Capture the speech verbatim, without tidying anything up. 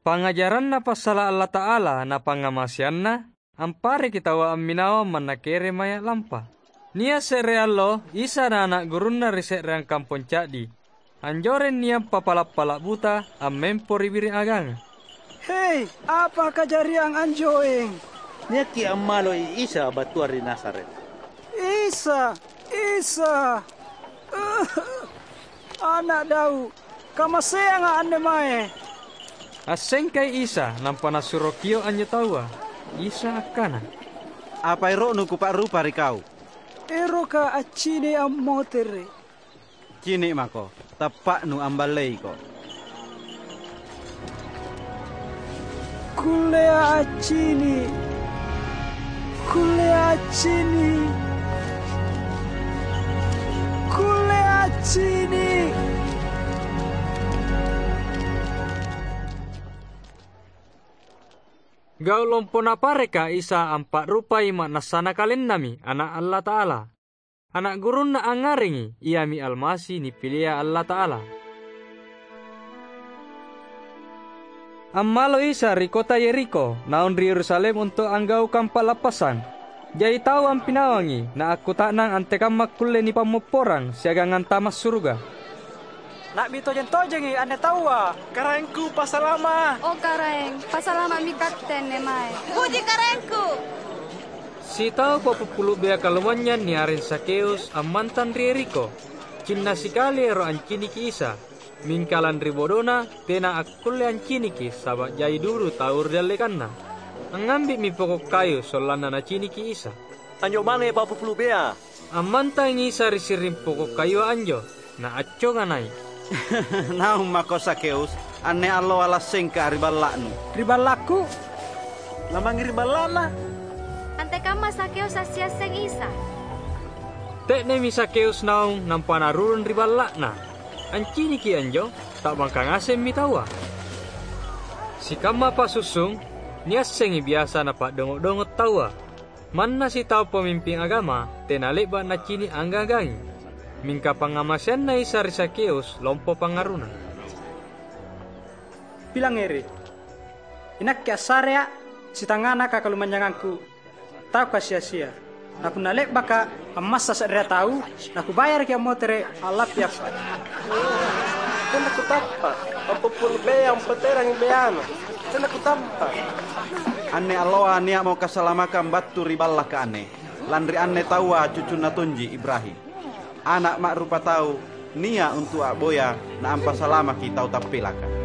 Pangngajaranna passala' Allata'ala na pangngamaseanNa ampareki taua amminawang manna kereng maya' lampa. Nia' se're allo Isa na ana' gurunNa ri se'reang kampong ca'di. Anjoreng nia' papala'-pala' buta ammempo ri biring aganga. "Hei, apa kajariang anjoeng?" Niaki ammaloi Isa battua ri Nazaret. "Isa, Isa, Ana' Daud, kamaseanga' anne mae!" Assengkai Isa, nampa Nasuro kio' anjo taua. Isa akkana, "Apa ero'nu Kupa'rupa ri kau?" "Eroka accini' ammotere'." "Cini' mako, tappa'nu amballeiko." "Kullea accini'! Kullea accini'! Kullea accini'!" Gau' lompo Napareka Isa ampa'rupai ma'nassana KalenNami, Ana' Allata'ala. Ana' gurunNa angngarengi, iami Almasi nipilia Allata'ala. Ammalo Isa ri kota Yerikho, naung ri Yerusalem untu' anggaukang pa'lappasang. Jai tau ampinawangi, na akkuta'nang antekamma akkulle nipammopporang siagang antama' suruga. "Na'bi tojeng-tojengi anne taua." "Karaengku, pasalama'!" "O Karaeng, pasalama'mi katte anne mae." "Puji Karaengku!" Sitau pa'pupulu' bea kalumanynyang niareng Zakheus ammantang ri Yerikho. Cinna sikali ero' anciniki Isa, mingka lanri bodona tena akkulle anciniki saba' jai dudu tau ri dallekanna. Angngambi'mi poko' kayu sollanna naciniki Isa. "Anjo mange pa'pupulu' bea." Ammantangi Isa ri siring poko' kayua anjo, Naacconga nai'. "Naung mako Zakheus, anne alloa lassengka ri balla'nu." "Ri ballakku?" "Lamangngi ri balla'na." Antekamma Zakheus assi-asseng Isa. Te'nemi Zakheus naung nampa narurung ri balla'na. Anciniki anjo, ta'bangka ngasemmi taua. Sikamma pa'sussung, niassengi biasa napa'dongo'-dongo' taua. Manna sitau pamimping agama tena le'ba' nacini' anggang-anggangi, mingka pangngamaseanNa Isa ri Zakheus lompo pangngaruna. "Pilangngeri! Inakke assareA' sitangngana kakalumanynyangangku, tau kasi-asia. Na punna le'baka' ammassa se'rea tau, nakubayaraki ammotere' a'lappi appa'." "Tena kutappa'. Pa'pupulu' bea ampoterangi beana. Tena kutappa'." "Anne alloa nia'mo kasalamakang battu ri ballaka anne, lanri anne taua cucunna tonji Ibrahim. Ana' ma'rupatau nia' untu' a'boya naampasalamaki tau tappilaka."